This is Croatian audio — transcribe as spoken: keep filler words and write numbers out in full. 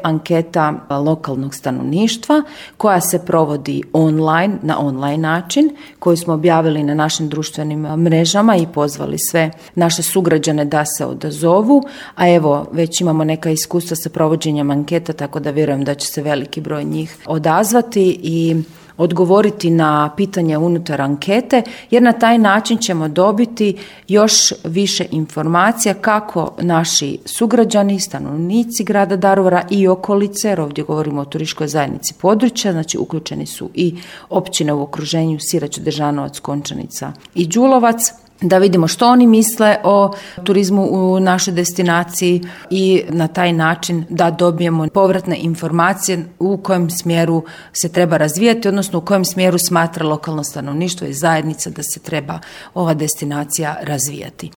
anketa lokalnog stanovništva koja se provodi online, na online način, koju smo objavili na našim društvenim mrežama i pozvali sve naše sugrađane da se odazovu, a evo već imamo neka iskustva sa provođenjem anketa, tako da vjerujem da će se veliki broj njih odazvati i odgovoriti na pitanje unutar ankete, jer na taj način ćemo dobiti još više informacija kako naši sugrađani, stanovnici grada Daruvara i okolice, jer ovdje govorimo o turističkoj zajednici područja, znači uključeni su i općine u okruženju Sirač, Dežanovac, Končanica i Đulovac, da vidimo što oni misle o turizmu u našoj destinaciji i na taj način da dobijemo povratne informacije u kojem smjeru se treba razvijati, odnosno u kojem smjeru smatra lokalno stanovništvo i zajednica da se treba ova destinacija razvijati.